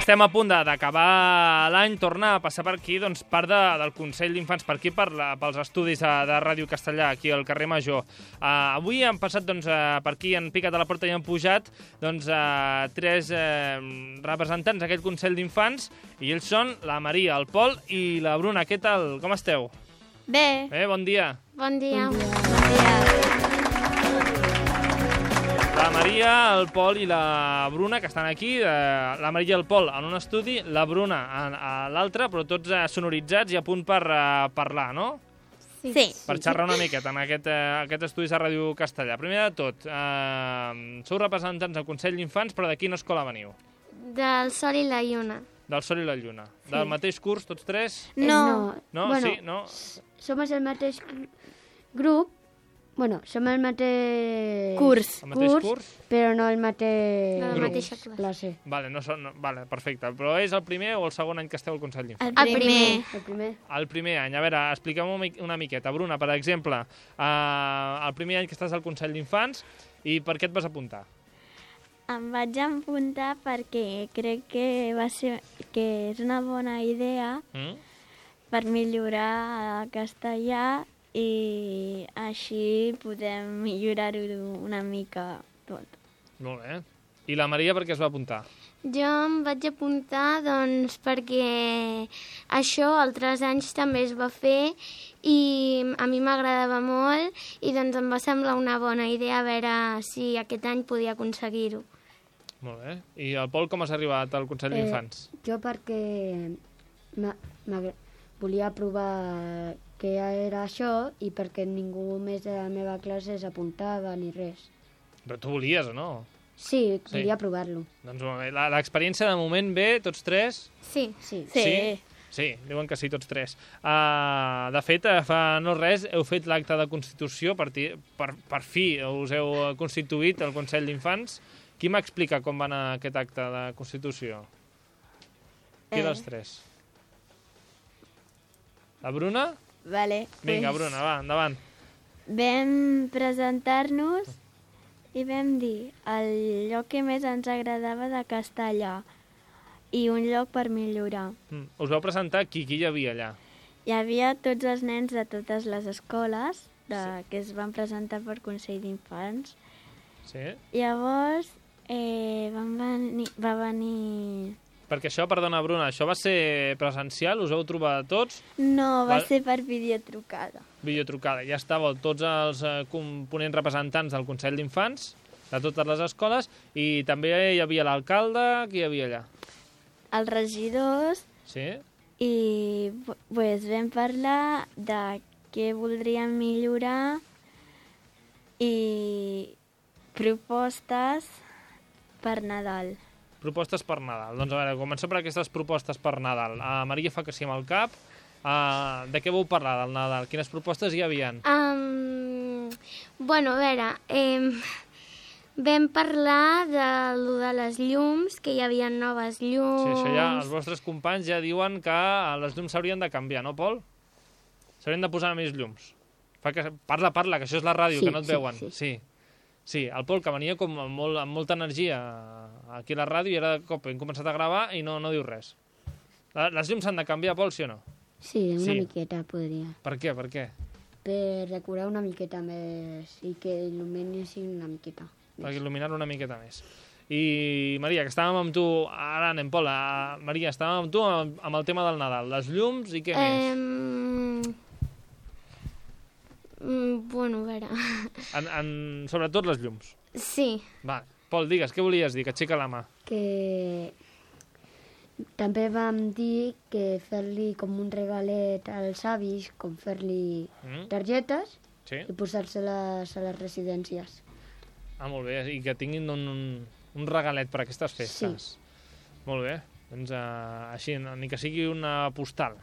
estem a punt d'acabar l'any, torna a passar per aquí part del Consell d'Infants per aquí, pels estudis de Ràdio Castellà, aquí al carrer Major. Avui han passat per aquí, han picat a la porta i han pujat tres representants d'aquest Consell d'Infants, i ells són la Maria, el Pol i la Bruna. Què tal? Com esteu? Bé. Bon dia. Bon dia. La Maria, el Pol i la Bruna, que estan aquí, la Maria i el Pol en un estudi, la Bruna a l'altre, però tots sonoritzats i a punt per parlar, no? Sí. Per xerrar una miqueta en aquest estudi de Ràdio Castellà. Primer de tot, sou representants del Consell d'Infants, però de quina escola veniu? Del Sol i la Lluna. Del Sol i la Lluna. Sí. Del mateix curs, tots tres? No. No? Bueno, Sí? No? Somos el mateix grup. Bueno, som el mateix Curs. El mateix curs? però no el mateix La Grup. mateixa classe. Vale, vale, perfecte. Però és el primer o el segon any que esteu al Consell d'Infants? El primer. El primer. El primer any. A veure, expliquem una miqueta. Bruna, per exemple, el primer any que estàs al Consell d'Infants, i per què et vas apuntar? Em vaig apuntar perquè crec que és una bona idea per millorar el castellà i així podem millorar-ho una mica tot. Molt bé. I la Maria per què es va apuntar? Jo em vaig apuntar perquè això altres anys també es va fer i a mi m'agradava molt i em va semblar una bona idea a veure si aquest any podia aconseguir-ho. Molt bé. I el Pol com has arribat al Consell d'Infants? Jo perquè volia provar què era això i perquè ningú més de la meva classe s'apuntava ni res. Però tu volies, o no? Sí, volia provar-lo. Doncs molt bé. L'experiència de moment bé, tots tres? Sí. Sí. Sí, diuen que sí, tots tres. De fet, fa no res, heu fet l'acte de Constitució, per fi us heu constituït el Consell d'Infants. Qui m'explica com va anar aquest acte de Constitució? Qui dels tres? La Bruna? Vale. Vinga, Bruna, va, endavant. Vam presentar-nos i vam dir el lloc que més ens agradava de castellà i un lloc per millorar. Us vau presentar qui hi havia allà? Hi havia tots els nens de totes les escoles que es van presentar per Consell d'Infants. Sí? Llavors va venir... Perquè això, perdona, Bruna, això va ser presencial? Us vau trobar tots? No, va ser per videotrucada. Videotrucada. Ja estàveu tots els components representants del Consell d'Infants, de totes les escoles, i també hi havia l'alcalde. Qui hi havia allà? Els regidors. Sí? I vam parlar de què voldríem millorar i propostes per Nadal. Propostes per Nadal. Doncs a veure, comencem per aquestes propostes per Nadal. Maria fa que sí amb el cap. De què vau parlar del Nadal? Quines propostes hi havia? Bueno, a veure, vam parlar de les llums, que hi havia noves llums. Sí, això ja, els vostres companys ja diuen que les llums s'haurien de canviar, no, Pol? S'haurien de posar més llums. Parla, que això és la ràdio, que no et veuen. Sí, el Pol, que venia com amb molta energia aquí a la ràdio, i ara de cop hem començat a gravar i no diu res. Les llums s'han de canviar, Pol, sí o no? Sí, una miqueta podria. Per què? Per decorar una miqueta més i que il·luminessin una miqueta més. Per il·luminar una miqueta més. I, Maria, que estàvem amb tu, ara anem, Pol, Maria, estàvem amb tu amb el tema del Nadal, les llums i què més? Bueno, a veure... Sobretot les llums. Sí. Va, Pol, digues, què volies dir? Que aixeca la mà. Que també vam dir que fer-li com un regalet als avis, com fer-li targetes i posar-se-les a les residències. Molt bé, i que tinguin un regalet per aquestes festes. Sí. Molt bé, doncs així, ni que sigui una postal.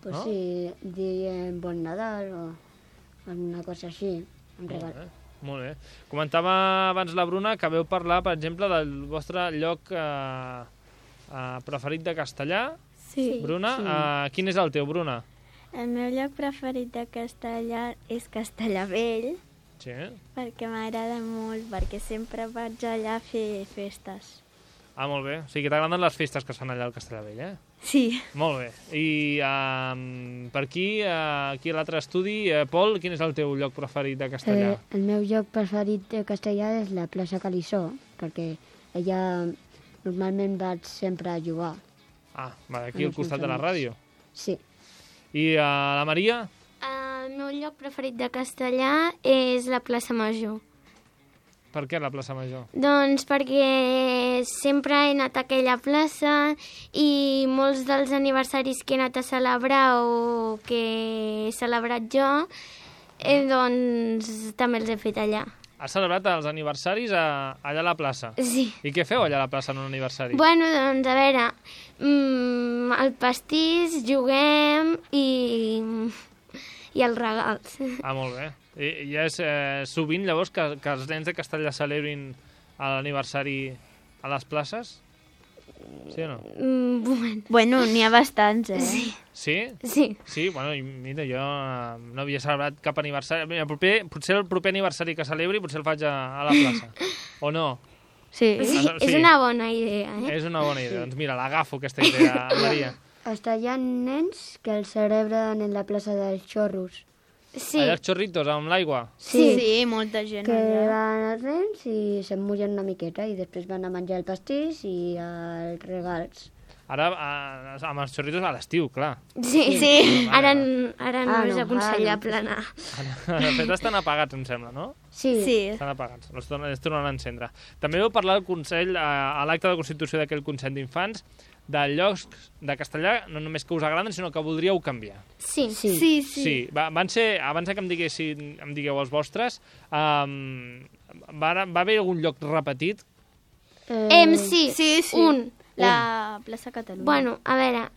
Pues no? Sí, diem Bon Nadal o alguna cosa així, un regal. Molt bé. Comentava abans la Bruna que veu parlar, per exemple, del vostre lloc preferit de castellà. Sí. Bruna, quin és el teu, Bruna? El meu lloc preferit de castellà és Castellabell. Sí. Perquè m'agrada molt, perquè sempre vaig allà a fer festes. Ah, molt bé. O sigui que t'agraden les festes que es fan allà al Castellavell, eh? Sí. Molt bé. I per aquí a l'altre estudi, Pol, quin és el teu lloc preferit de Castellà? El meu lloc preferit de Castellà és la plaça Calissó, perquè allà normalment vaig sempre a jugar. Ah, aquí al costat de la ràdio. Sí. I la Maria? El meu lloc preferit de Castellà és la plaça Major. Per què la plaça Major? Doncs perquè sempre he anat a aquella plaça i molts dels aniversaris que he anat a celebrar o que he celebrat jo, doncs també els he fet allà. Has celebrat els aniversaris allà a la plaça? Sí. I què feu allà a la plaça en un aniversari? Bueno, doncs a veure, el pastís, juguem i els regals. Ah, molt bé. I és sovint, llavors, que els nens de Castellà celebrin l'aniversari a les places? Sí o no? Bueno, n'hi ha bastants, Sí? Sí. Sí, bueno, mira, jo no havia celebrat cap aniversari. Mira, potser el proper aniversari que celebri potser el faig a la plaça. O no? Sí. Sí, és una bona idea, És una bona idea. Doncs mira, l'agafo, aquesta idea, Maria. Hasta hi ha nens que el celebren en la plaça dels Xorros. Sí. Allà els xorritos, amb l'aigua? Sí, molta gent Que allà. van els nens i s'emmullen una miqueta i després van a menjar el pastís i els regals. Ara, amb els xorritos a l'estiu, clar. Sí. Ara no Ah, és no, aconsellable anar. De fet, estan apagats, em sembla, no? Sí. Estan apagats, els tornaran a encendre. També vau parlar al Consell, a l'acte de constitució d'aquell Consell d'Infants, de llocs de Castellà, no només que us agraden, sinó que voldríeu canviar. Sí. Sí. Van ser, abans que em digueu els vostres, va haver algun lloc repetit? Sí. Un. La plaça Catalunya. Bueno, a veure,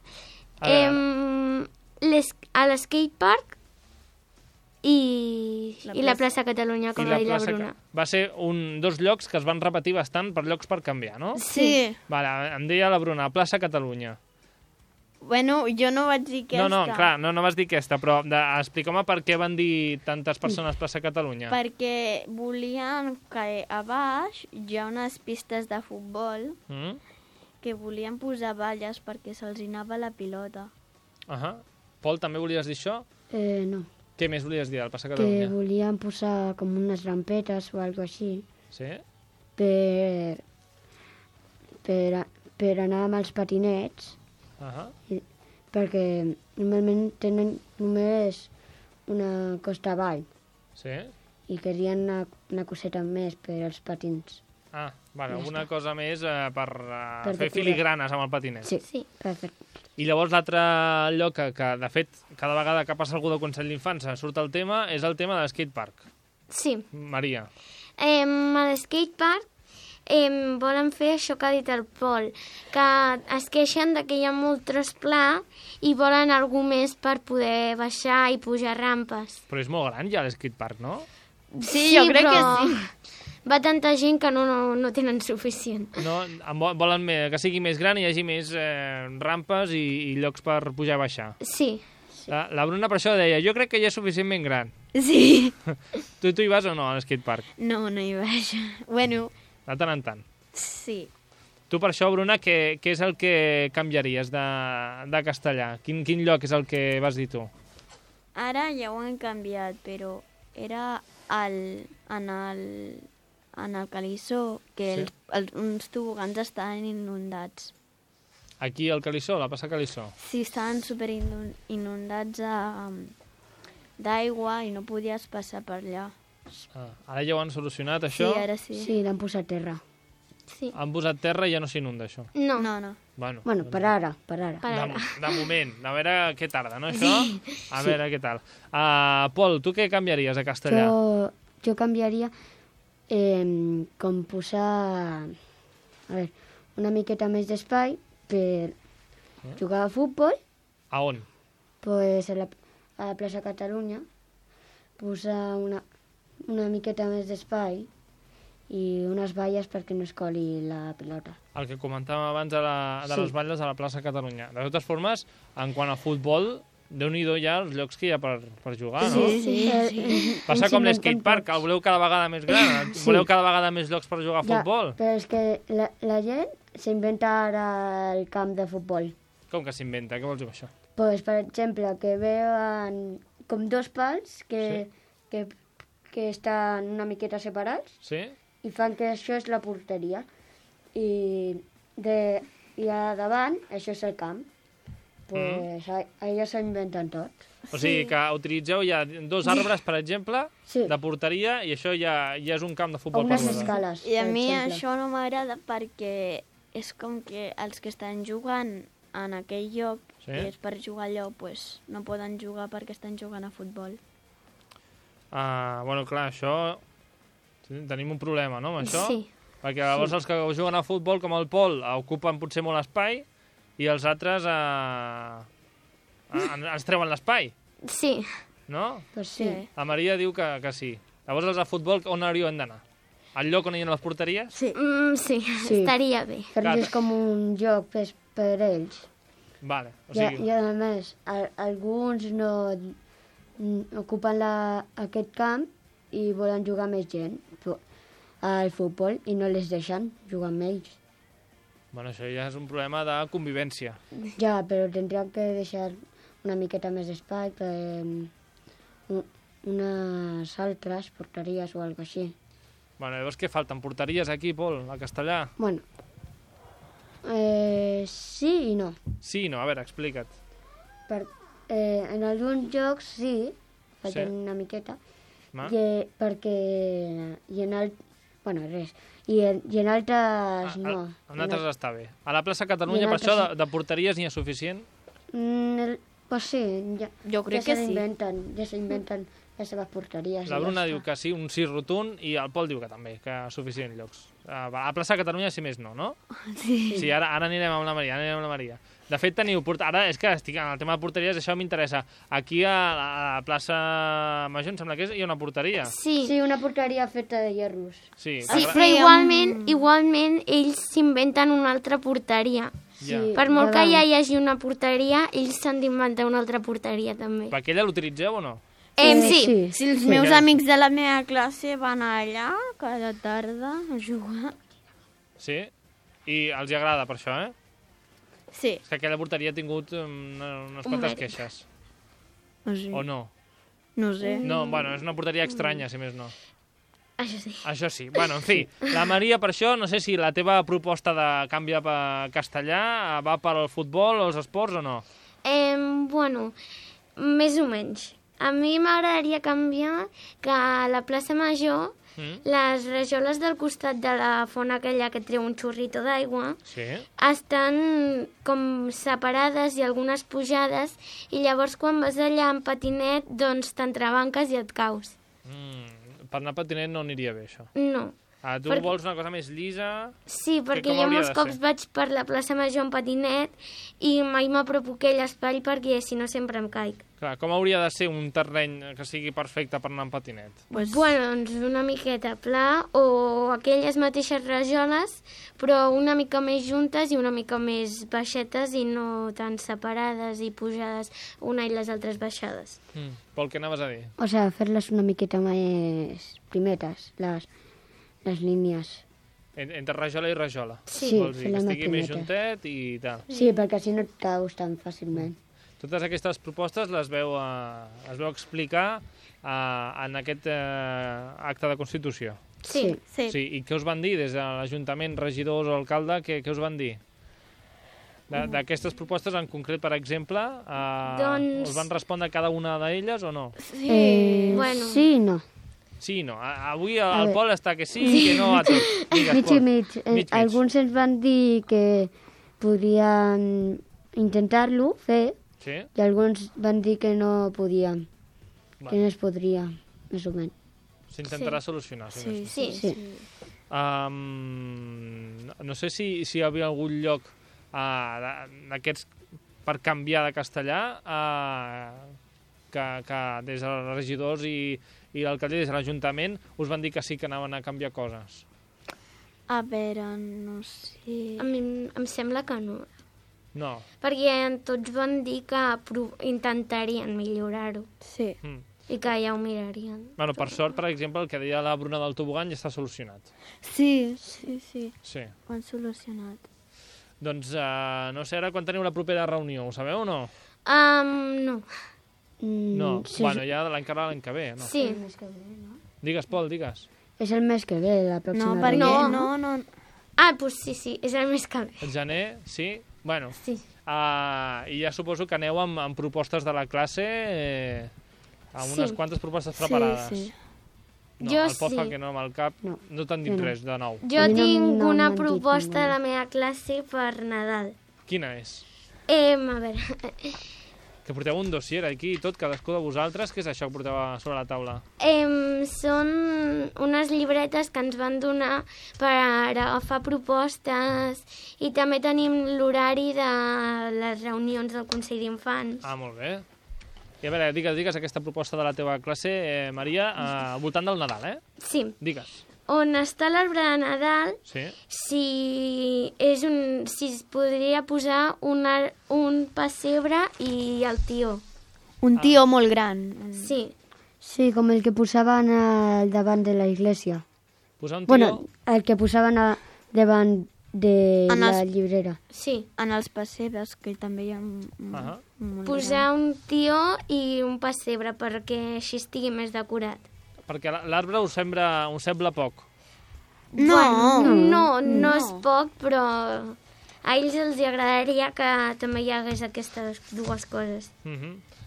a l'skatepark i la plaça Catalunya, com va dir la Bruna. Va ser dos llocs que es van repetir bastant per llocs per canviar, no? Sí. Vale, em deia la Bruna, plaça Catalunya. Bueno, jo no vaig dir aquesta. No, clar, no vas dir aquesta, però explica'm per què van dir tantes persones plaça Catalunya. Perquè volien que a baix hi ha unes pistes de futbol que volien posar valles perquè se'ls anava la pilota. Pol, també volies dir això? No. Què més volies dir al plaça Catalunya? Que volien posar com unes rampetes o alguna així. Sí? Per anar amb els patinets. Perquè normalment tenen només una costa avall. Sí? I querien una coseta més per als patins. Vale, alguna cosa més per fer filigranes amb el patinet. Sí, perfecte. I llavors l'altre lloc que, de fet, cada vegada que passa algú del Consell d'Infants surt el tema, és el tema de l'skatepark. Sí. Maria. A l'skatepark volen fer això que ha dit el Pol, que es queixen que hi ha molt tros pla i volen algú més per poder baixar i pujar rampes. Però és molt gran ja l'skatepark, no? Sí, jo crec que sí. Va tanta gent que no tenen suficient. No, volen que sigui més gran i hi hagi més rampes i llocs per pujar i baixar. Sí. La Bruna per això deia, jo crec que ja és suficientment gran. Sí. Tu hi vas o no a l'skatepark? No hi vaig. Bueno. De tant en tant. Sí. Tu per això, Bruna, què és el que canviaries de Castellà? Quin lloc és el que vas dir tu? Ara ja ho han canviat, però era en el Calissó, que uns tobogans estaven inundats. Aquí al Calissó, la plaça Calissó? Sí, estaven super inundats d'aigua i no podies passar per allà. Ara ja ho han solucionat, això? Sí, ara sí. Sí, l'han posat terra. Sí. Han posat terra i ja no s'inunda, això? No. Bueno, per ara. De moment, a veure què tarda, no, això? A veure què tal. Pol, tu què canviaries a Castellà? Jo canviaria com posar una miqueta més d'espai per jugar a futbol. A on? Pues a la plaça Catalunya, posar una miqueta més d'espai i unes valles perquè no es coli la pilota. El que comentàvem abans de les valles a la plaça Catalunya. De totes formes, en quant a futbol, Déu-n'hi-do ja els llocs que hi ha per jugar, no? Sí. Passa com l'skatepark, el voleu cada vegada més gran, voleu cada vegada més llocs per jugar a futbol. Però és que la gent s'inventa ara el camp de futbol. Com que s'inventa? Què vols dir amb això? Pues, per exemple, que veuen com dos pals que estan una miqueta separats Sí? i fan que això és la porteria. I a davant, això és el camp. Pues allà s'inventen tot. O sigui que utilitzeu ja 2 arbres, per exemple, de porteria, i això ja és un camp de futbol. O unes escales, I a per mi exemple. això no m'agrada perquè és com que els que estan jugant en aquell lloc i és per jugar allò, pues, no poden jugar perquè estan jugant a futbol. Bueno, clar, això... Tenim un problema, no, amb això? Sí. Perquè llavors els que juguen a futbol, com el Pol, ocupen potser molt espai i els altres ens treuen l'espai, Sí. no? Pues sí. La Maria diu que sí. Llavors els de futbol on hauríem d'anar? Al lloc on hi ha les porteries? Sí, estaria bé. Fer-los com un joc per ells. Vale, o sigui... I a més, alguns no ocupen aquest camp i volen jugar més gent al futbol i no les deixen jugar amb ells. Bueno, això ja és un problema de convivència. Ja, però tindríem que deixar una miqueta més d'espai per unes altres porteries o alguna així. Bueno, llavors què falten? Porteries aquí, Pol, a Castellà? Bueno, sí i no. Sí, no, a veure, explica't. En alguns jocs sí, falten una miqueta, perquè bueno, res. I en altres no. En altres està bé. A la plaça Catalunya, per això, de porteries n'hi ha suficient? Pues sí, Jo crec que sí. Ja s'inventen les seves porteries. La Bruna diu que sí, un sí rotund, i el Pol diu que també, que suficient llocs. A la plaça Catalunya, si més no, no? Sí, ara anirem amb la Maria, De fet, ara és que estic en el tema de porteries, això m'interessa. Aquí a la plaça Major, em sembla que hi ha una porteria. Sí, una porteria feta de hierros. Sí, però igualment ells s'inventen una altra porteria. Ja. Per molt que ja hi hagi una porteria, ells s'han d'inventar una altra porteria també. Per aquella l'utilitzeu o no? Sí. Si els meus amics de la meva classe van allà cada tarda a jugar. Sí? I els hi agrada per això, Sí. És que aquella porteria ha tingut unes quantes queixes. O no? No sé. No, bueno, és una porteria estranya, si més no. Això sí. Això sí. Bueno, en fi, la Maria, per això, no sé si la teva proposta de canvi a castellà va per al futbol o els esports o no? Bueno, més o menys. A mi m'agradaria canviar que a la plaça Major les rajoles del costat de la font aquella que treu un xorrito d'aigua estan com separades i algunes pujades i llavors quan vas allà en patinet doncs t'entrebanques i et caus. Per anar a patinet no aniria bé, això. No. Tu vols una cosa més llisa? Sí, perquè jo molts cops vaig per la plaça Major en patinet i mai m'apropo aquell espai perquè si no sempre em caic. Clar, com hauria de ser un terreny que sigui perfecte per anar en patinet? Bueno, doncs una miqueta pla o aquelles mateixes rajoles, però una mica més juntes i una mica més baixetes i no tan separades i pujades una i les altres baixades. Pol, què anaves a dir? O sigui, fer-les una miqueta més primetes, les línies. Entre rajola i rajola. Sí, vols dir, que estigui més juntet i tal. Sí, perquè així no et caus tan fàcilment. Totes aquestes propostes les veu explicar en aquest acte de Constitució. Sí. I què us van dir des de l'Ajuntament, regidors o alcalde, què us van dir? D'aquestes propostes en concret, per exemple, us van respondre cada una d'elles o no? Bueno. Sí i no. Sí i no. Avui el Pol està que sí i que no a tot. Digues, mig Pol. i mig. Alguns ens van dir que podien intentar-lo fer i alguns van dir que no podíem, que no es podria, més o menys. S'intentarà solucionar. Sí. No sé si hi havia algun lloc d'aquests per canviar de castellà que des dels regidors i l'alcalde des de l'Ajuntament us van dir que sí que anaven a canviar coses. A veure, no sé... A mi em sembla que no. No. Perquè tots van dir que intentarien millorar-ho Sí. i que ja ho mirarien. Bueno, per sort, per exemple, el que deia la Bruna del tobogan ja està solucionat. Sí. Sí. Ho han solucionat. Doncs, no sé ara quan teniu la propera reunió, ho sabeu o no? No. No, Sí, bueno, ja l'any que ve, no? Sí. el mes que ve, no? Digues, Pol, digues. És el mes que ve, la pròxima No, perquè reunió. no. Doncs sí, és el mes que ve. El gener, sí? Bueno, Sí. i ja suposo que aneu amb propostes de la classe, amb unes Sí. quantes propostes preparades. Sí. No, Jo el Pol fa sí. que no amb el cap, no t'han dit Jo no. res de nou. Jo A mi no tinc una m'han dit proposta ninguna. de la meva classe per Nadal. Quina és? A veure, Que porteu un dossier aquí i tot, cadascú de vosaltres. Què és això que porteu sobre la taula? són unes llibretes que ens van donar per agafar propostes i també tenim l'horari de les reunions del Consell d'Infants. Ah, molt bé. I a veure, digues aquesta proposta de la teva classe, Maria, al voltant del Nadal, eh? Sí, Digues. on està l'arbre de Nadal, Sí? si es podria posar un pessebre i el tió. Un tió molt gran. Sí, Sí, com el que posaven al davant de la iglesia. Posar un tió... Bueno, el que posaven davant de En els- la llibrera. sí. En els pessebres, que també hi ha Ahà. molt Posar un tió i un pessebre perquè així estigui més decorat. Perquè l'arbre us sembla poc. No. No és poc, però a ells els agradaria que també hi hagués aquestes dues coses.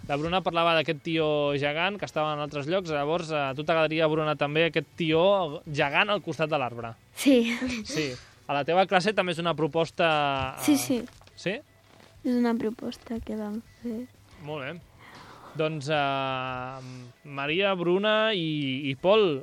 La Bruna parlava d'aquest tió gegant que estava en altres llocs, llavors a tu t'agradaria, Bruna, també aquest tió gegant al costat de l'arbre. Sí. Sí. A la teva classe també és una proposta... Sí. Sí? És una proposta que vam fer. Molt bé. Doncs Maria, Bruna i Pol,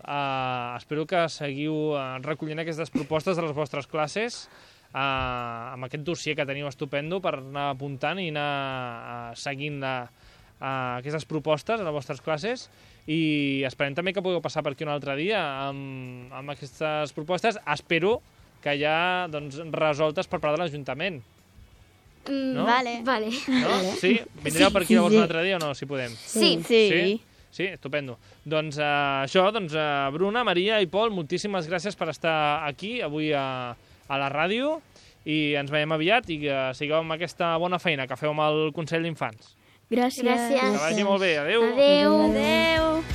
espero que seguiu recollint aquestes propostes de les vostres classes amb aquest dossier que teniu estupendo per anar apuntant i anar seguint aquestes propostes a les vostres classes i esperem també que pugueu passar per aquí un altre dia amb aquestes propostes. Espero que ja doncs, resoltes per part de l'Ajuntament. No? Vale. No? Sí? Vindreu per aquí llavors un altre dia o no, si podem? Sí. Sí? Sí, estupendo. Doncs això, Bruna, Maria i Pol, moltíssimes gràcies per estar aquí avui a la ràdio i ens veiem aviat i que sigueu amb aquesta bona feina que feu amb el Consell d'Infants. Gràcies. Gràcies. Que vagi molt bé. Adéu. Adéu. Adéu.